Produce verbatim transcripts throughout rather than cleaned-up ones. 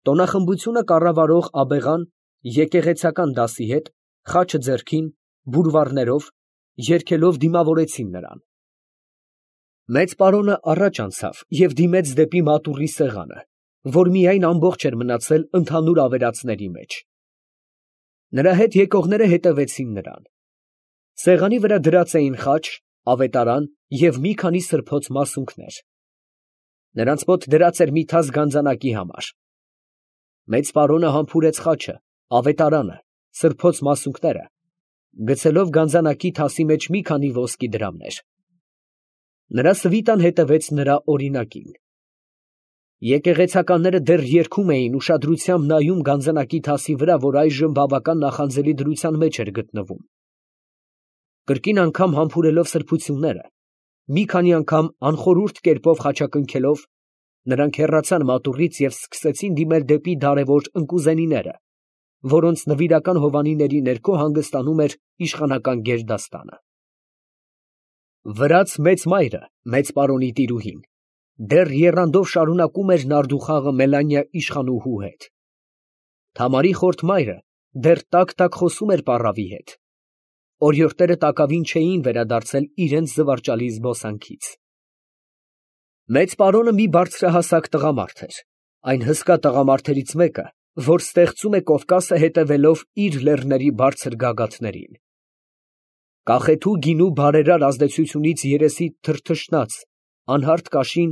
Տոնախմբությունը կառավարող աբեղան եկեղեցական դասի հետ, խաչը ձեռքին, բուրվառներով, երգելով դիմավորեցին նրան։ Մեծ պարոնը առաջ անցավ և դիմեց դեպի մատուռի սեղանը, որ միայն ամբողջ էր մնացել ընդհանուր ավերածների մեջ։ Նրա հետ եկողները հետևեցին նրան։ Սեղանի վրա դրած էին խաչ, ավետարան և մի քանի սրբոց մասունքներ։ Նրանց մոտ դրած էր մի թաս գանձանակի համար։ Մեծ պարոնը համբուրեց խաչը, ավետարանը, սրբոց մասունքները, գցելով գանձանակի թասի մեջ մի քանի ոսկի դրամներ։ Նրա սվիտան հետևեց նրա օրինակին։ Եկեղեցականները դեռ երգում էին, ուշադրությամբ նայում գանձանակի թասի վրա, որ այժմ բավական նախանձելի դրության մեջ էր գտնվում։ Կրկին անգամ համբուրելով սրբությունները, մի քանի անգամ անխորհուրդ կերպով խաչակնքելով, նրանք հեռացան մատուռից և սկսեցին դիմել դեպի դարևոր ընկուզենիները, որոնց նվիրական հովանիների ներքո հանգստանում էր իշխանական գերդաստանը։ Վրաց մեծ մայրը, մեծ պարոնի տիրուհին, դեռ եռանդով շարունակում էր նարդուխաղը Մելանիա իշխանուհու հետ։ Թամարի խորթ մայրը դեռ տակ֊տակ խոսում էր պառավի հետ։ Օրիորդները տակավին չէին վերադարձել իրենց զվարճալի զբոսանքից։ Մեծ պարոնը մի բարձրահասակ տղամարդ էր, այն հսկա տղամարդերից մեկը, որ ստեղծում է Կովկասը հետևելով իր լեռների բարձր գագաթներին։ Կախեթու գինու բարերար ազդեցությունից երեսի թրթշնած, անհարթ կաշին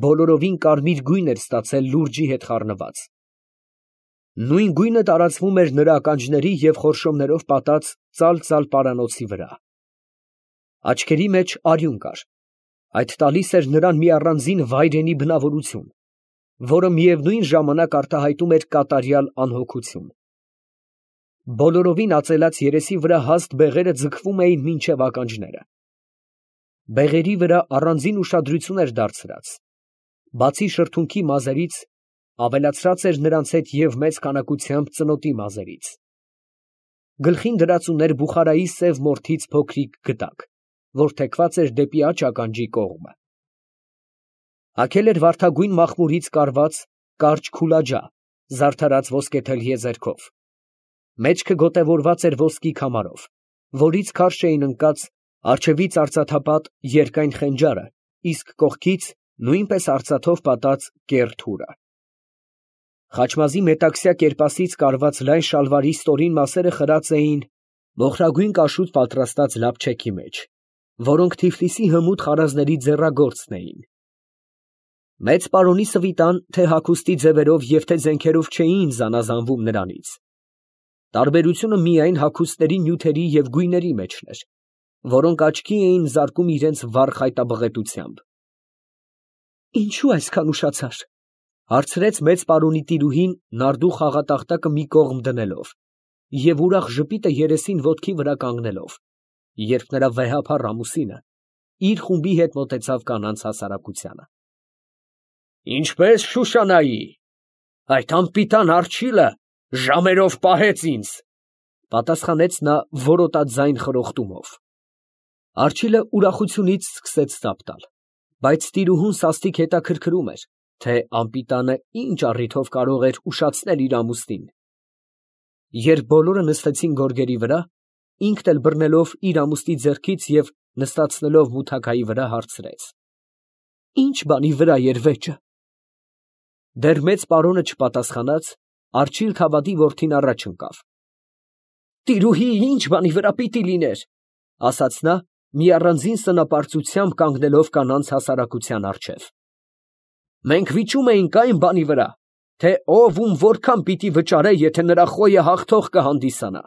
բոլորովին կարմիր գույն էր ստացել լուրջի հետ խառնված։ Նույն գույնը տարածվում էր նրա ականջների և խորշոմներով պատած ծալ֊ծալ պարանոցի վրա։ Աչքերի մեջ արյուն կար, այդ տալիս էր նրան մի առանձին վայրենի բնավորություն, որը միևնույն ժամանակ արտահայտում էր կատարյալ անհոգություն։ Բոլորովին ածելած երեսի վրա հաստ բեղերը ձգվում էին մինչև ականջները։ Բեղերի վրա առանձին ուշադրություն էր դարձրած, բացի շրթունքի մազերից, ավելացրած էր նրանց հետ և մեծ քանակությամբ ծնոտի մազերից։ Գլխին դրած ուներ Բուխարայի սև մորթից փոքրիկ գդակ, որ թեքված էր դեպի աջ ականջի կողմը։ Հագել էր վարդագույն մախմուրից կարված կարճ քուլաջա, զարդարած ոսկեթել եզերքով։ Մեջքը գոտևորված էր ոսկի քամարով, որից քարշ էին ընկած առջևից արծաթապատ երկայն խենջարը, իսկ կողքից նույնպես արծաթով պատած կեռ թուրը։ Խաչմազի մետաքսյա կերպասից կարված լայն շալվարի ստորին մասերը խրած էին մոխրագույն կաշուտ պատրաստած լապչեքի մեջ, որոնք Թիֆլիսի հմուտ խարազների ձեռագործն էին։ Մեծ պարոնի սվիտան թե հագուստի ձևերով և թե զենքերով չէին զանազանվում նրանից։ Տարբերությունը միայն հագուստների նյութերի և գույների մեջն էր, որոնք աչքի էին զարկում իրենց վառ խայտաբղետությամբ։ Ինչո՞ւ այսքան ուշացար, ֊ հարցրեց մեծ պարոնի տիրուհին նարդու խաղատախտակը մի կողմ դնելով և ուրախ ժպիտը երեսին ոտքի վրա կանգնելով, երբ նրա վեհափառ ամուսինը իր խումբի հետ մոտեցավ կանանց հասարակությանը։ Ինչպես Շուշանայի, այդ անպիտան արջիլը ժամերով պահեց ինձ, ֊ պատասխանեց նա որոտած ձայն խրոխտումով։ Արջիլը ուրախությունից սկսեց ծափ տալ, բայց տիրուհուն սաստիկ հետաքրքրում էր, թե անպիտանը ինչ առիթով կարող էր ուշացնել իր ամուսնին։ Երբ բոլորը նստեցին գորգերի վրա, ինքն էլ բռնելով իր ամուսնի ձեռքից և նստացնելով մութաքայի վրա, հարցրեց. Ի՞նչ բանի վրա էր վեճը։ Դեռ մեծ պարոնը չպատասխանած, Արջիլ Թավադի որդին առաջ ընկավ։ Տիրուհի, ի՞նչ բանի վրա պիտի լիներ, ֊ ասաց նա, մի առանձին սնապարծությամբ կանգնելով կանանց հասարակության առջև։ Մենք վիճում էինք այն բանի վրա, թե ով ում որքան պիտի վճարե, եթե նրա խոյը հաղթող կհանդիսանա։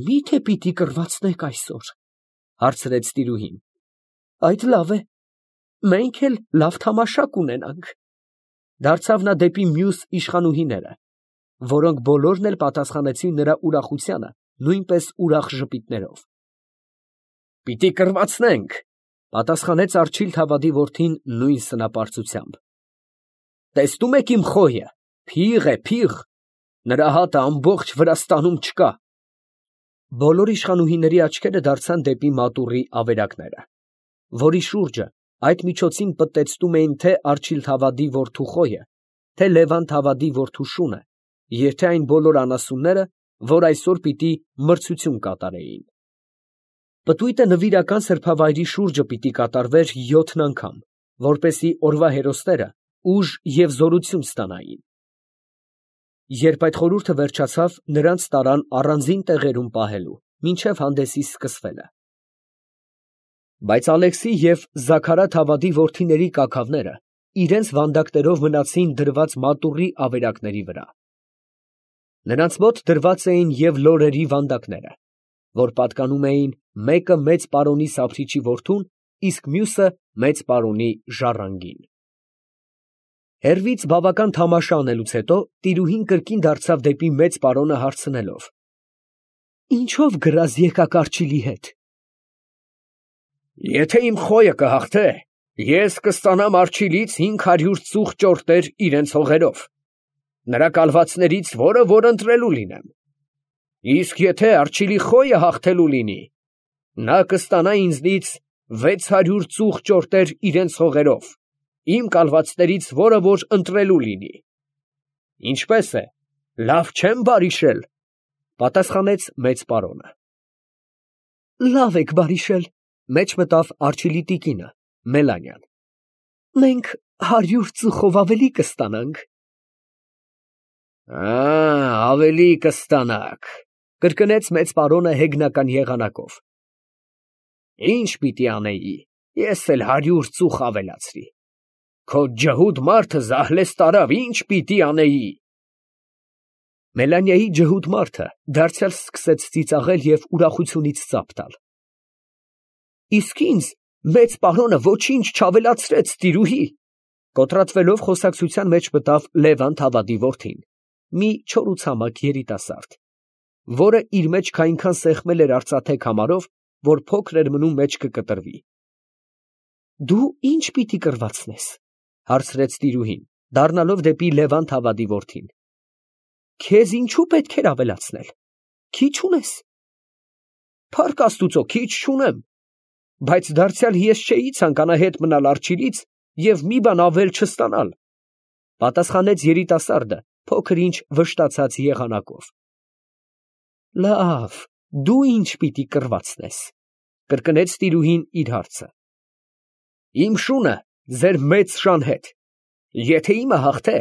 Մի՞թե պիտի կռվածնենք այսօր, ֊ հարցրեց տիրուհին։ Այդ լավ է, մենք էլ լավ թամաշա կունենանք։ Դարձավ նա դեպի մյուս իշխանուհիները, որոնք բոլորն էլ պատասխանեցին նրա ուրախությանը նույնպես ուրախ ժպիտներով։ Պիտի կռվածնենք, ֊ պատասխանեց Արջիլ Թավադի որդին նույն սնապարծությամբ։ Տեսնում եք իմ խոյը, փիղ է, փիղ, նրա հատը ամբողջ Վրաստանում չկա։ Բոլոր իշխանուհիների աչքերը դարձան դեպի մատուռի ավերակները, որի շուրջը այդ միջոցին պտտեցնում էին թե Արջիլ Թավադի որդու խոյը, թե Լևանտ Հավադի որդու շունը, և թե այն բոլոր անասունները, որ այսօր պիտի մրցություն կատարեին։ Պտույտը նվիրական սրբավայրի շուրջը պիտի կատարվեր յոթն անգամ, որպեսզի օրվա հերոսները ուժ և զորություն ստանային։ Երբ այդ խորհուրդը վերջացավ, նրանց տարան առանձին տեղերում պահելու, մինչև հանդեսի սկսվելը։ Բայց Ալեքսի և Զաքարաթ Հավադի որդիների կաքավները իրենց վանդակներով մնացին դրված մատուռի ավերակների վրա։ Նրանց մոտ դրված էին և լորերի վանդակները, որ պատկանում էին մեկը մեծ պարոնի Սափրիչի որդուն, իսկ մյուսը մեծ պարոնի Ժառանգին։ Հեռվից բավական թամաշ անելուց հետո տիրուհին կրկին դարձավ դեպի մեծ պարոնը հարցնելով. «Ինչո՞վ գրազ եկաք Արջիլի հետ»։ «Եթե իմ խոյը կհաղթե, ես կստանամ Արջիլից հինգ հարյուր ծուխ ճորտեր իրենց հողերով, նրա կալվածներից որը որ ընտրելու լինեմ. իսկ եթե Արջիլի խոյը հաղթելու լինի, նա կստանա ինձնից վեց հարյուր ծուխ ճորտեր իրենց հողերով, իմ կալվածներից որը որ ընտրելու լինի։ Ինչպե՞ս է, լավ չեմ բարիշել», պատասխանեց մեծ պարոնը։ «Լավ եք բարիշել», մեջ մտավ Արջիլի տիկինը, Մելանյան։ «Մենք հարյուր ծուխով ավելի կստանանք»։ «Ավելի կստանաք», կրկնեց մեծ պարոնը հեգնական եղանակով։ «Ի՞նչ պիտի անեի, ես էլ հարյուր ծուխ ավելացրի։ Քո ջհուդ մարդը զահլես տարավ, ի՞նչ պիտի անեի»։ Մելանիայի ջհուդ մարդը դարձյալ սկսեց ծիծաղել և ուրախությունից ծափ տալ։ «Իսկ ինձ մեծ պարոնը ոչինչ չավելացրեց, տիրուհի», կոտրատվելով խոսակցության մեջ մտավ Լևանտ Հավադի որդին, մի չորացամաք երիտասարդ, որը իր մեջք այնքան սեղմել էր արծաթե քամարով, որ փոքր էր մնում մեջքը կտրվի։ «Դու ի՞նչ պիտի կռվածնես», հարցրեց տիրուհին, դառնալով դեպի Լևանտ Հավադի որդին։ «Քեզ ինչու պետք էր ավելացնել, քիչ ունես»։ «Փառք Աստուծո, քիչ չունեմ, բայց դարձյալ ես չէի ցանկանա հետ մնալ Արջիլից և մի բան ավել չստանալ», պատասխանեց երիտասարդը փոքր ինչ վշտացած եղանակով։ «Լավ, դու ի՞նչ պիտի կռվածնես», կրկնեց տիրուհին իր հարցը։ «Իմ շունը ձեր մեծ շան հետ, եթե իմը հաղթե,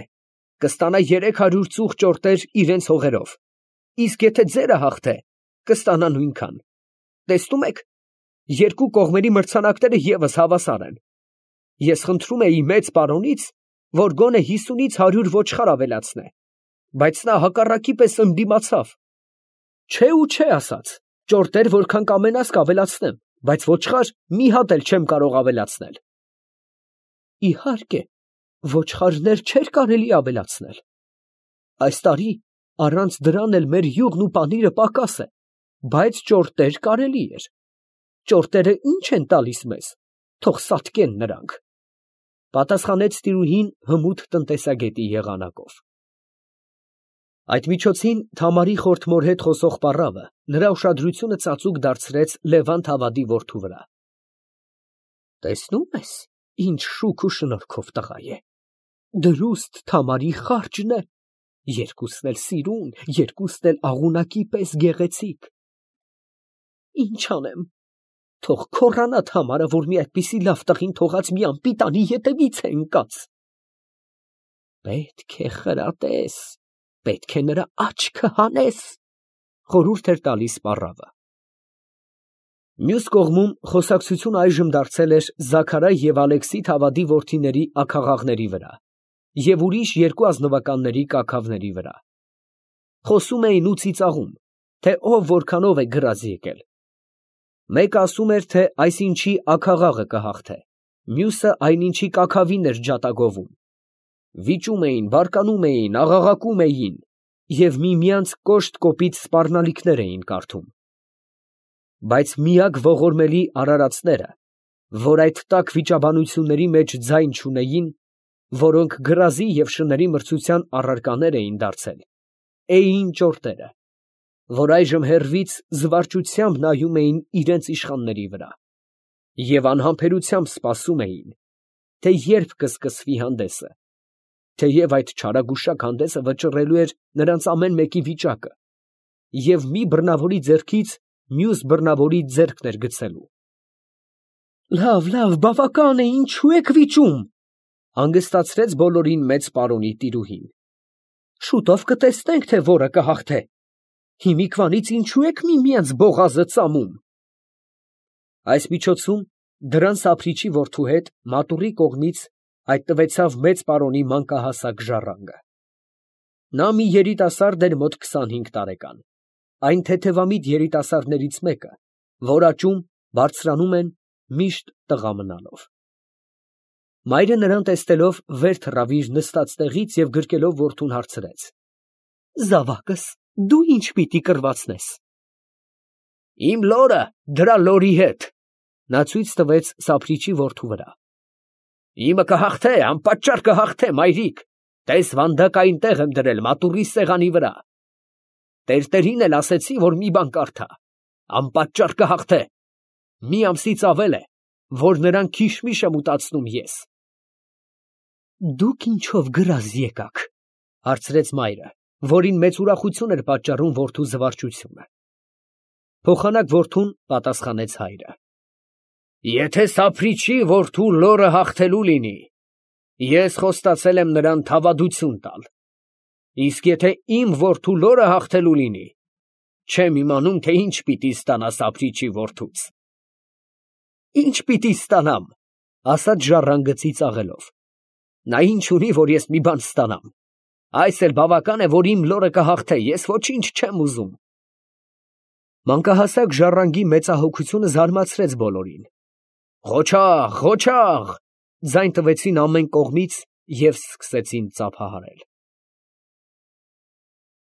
կստանա երեք հարյուր ծուխ ճորտեր իրենց հողերով, իսկ եթե ձերը հաղթե, կստանա նույնքան։ Տեսնում եք, երկու կողմերի մրցանակները ևս հավասար են։ Ես խնդրում էի մեծ պարոնից, որ գոնե հիսունից հարյուր ոչխար ավելացնե, բայց նա հակառակի պես ընդդիմացավ։ Չէ ու չէ ասաց, ճորտեր որքան կամենաս կավելացնեմ, բայց ոչխար մի հատ էլ չեմ կարող ավելացնել»։ «Իհարկե, ոչխարներ չէր կարելի ավելացնել։ Այս տարի առանց դրան էլ մեր յուղն ու պանիրը պակաս է, բայց ճորտեր կարելի էր։ Ճորտերը ի՞նչ են տալիս մեզ, թող սատկեն նրանք», պատասխանեց տիրուհին հմուտ տնտեսագետի եղանակով։ Այդ միջոցին Թամարի խորթմոր հետ խոսող պառավը նրա ուշադրությունը ծածուկ դարձրեց Լևանտ Հավադի որդու վրա։ «Տեսնում ես, ինչ շուք ու շնորհքով տղա է, դրուստ Թամարի խարջն է, երկուսն էլ սիրուն, երկուսն էլ աղունակի պես գեղեցիկ։ Ինչ անեմ, թող քոռանա Թամարը, որ մի այդպիսի լավ տղին թողած մի անպիտանի ետևից է ընկած»։ «Պետք է խրատես, պետք է նրա աչքը հանես», խորհուրդ էր տալիս պառավը։ Մյուս կողմում խոսակցությունը այժմ դարձել էր Զաքարայ և Ալեքսի Թավադի որդիների աքաղաղների վրա և ուրիշ երկու ազնվականների կաքավների վրա։ Խոսում էին ու ծիծաղում, թե ով որքանով է գրազ եկել։ Մեկը ասում էր, թե այսինչի աքաղաղը կհաղթե, մյուսը այնինչի կաքավին էր ջատագովում։ Վիճում էին, բարկանում էին, աղաղակում էին և միմյանց կոշտ կոպիտ սպառնալիքներ էին կարդում։ Բայց միակ ողորմելի արարածները, որ այդ տաք վիճաբանությունների մեջ ձայն չունեին, որոնք գրազի և շների մրցության առարկաներ էին դարձել, էին ճորտերը, որ այժմ հեռվից զվարճությամբ նայում էին իրենց իշխանների վրա և անհամբերությամբ սպասում էին, թե երբ կսկսվի հանդեսը, թեև այդ չարագուշակ հանդեսը վճռելու էր նրանց ամեն մեկի վիճակը և մի բռնավորի ձեռքից մյուս բռնավորի ձեռքն էր գցելու։ «Լավ, լավ, բավական է, ինչու եք վիճում», հանգստացրեց բոլորին մեծ պարոնի տիրուհին։ «Շուտով կտեսնենք, թե որը կհաղթե։ Հիմիկվանից ինչու եք միմյանց բողազը ծամում»։ Այս միջոցում դրանց սափրիչի որդու հետ մատուռի կողմից հայտնվեցավ մեծ պարոնի մանկահասակ ժառանգը։ Նա մի երիտասարդ էր մոտ քսանհինգ տարեկան, այն թեթևամիտ երիտասարդներից մեկը, որ աճում, բարձրանում են, միշտ տղա մնալով։ Մայրը նրան տեսնելով վեր թռավ իր նստած տեղից և գրկելով որդուն հարցրեց. «Զավակս, դու ի՞նչ պիտի կռվածնես»։ «Իմ լորը դրա լորի հետ», նա ցույց տվեց սափրիչի որդու վրա։ «Իմը կհաղթե, անպատճառ կհաղթե, մայրիկ, տես վանդակային տեղ եմ դրել մատուռի սեղանի վրա։ Տերտերին էլ ասեցի, որ մի բան կարդա, անպատճառ կհաղթե, մի ամսից ավել է, որ նրան քիշմիշ եմ ուտացնում ես»։ «Դուք ինչով գրազ եկաք», հարցրեց մայրը, որին մեծ ուրախություն էր պատճառում որդու զվարճությունը։ Փոխանակ որդուն պատասխանեց հայրը. «Եթե սափրիչի որդու լորը հաղթելու լինի, ես խոստացել եմ նրան թավադություն տալ, իսկ եթե իմ որդու լորը հաղթելու լինի, չեմ իմանում, թե ինչ պիտի ստանա սափրիչի որդուց»։ «Ի՞նչ պիտի ստանամ», ասաց ժառանգը ծիծաղելով։ «Նա ինչ ունի, որ ես մի բան ստանամ։ Այս էլ բավական է, որ իմ լորը կհաղթե, ես ոչինչ չեմ ուզում»։ Մանկահասակ ժառանգի մեծահոգությունը զարմացրեց բոլորին։ «Ղոչաղ, ղոչաղ», ձայն տվեցին ամեն կողմից և սկսեցին ծափահարել։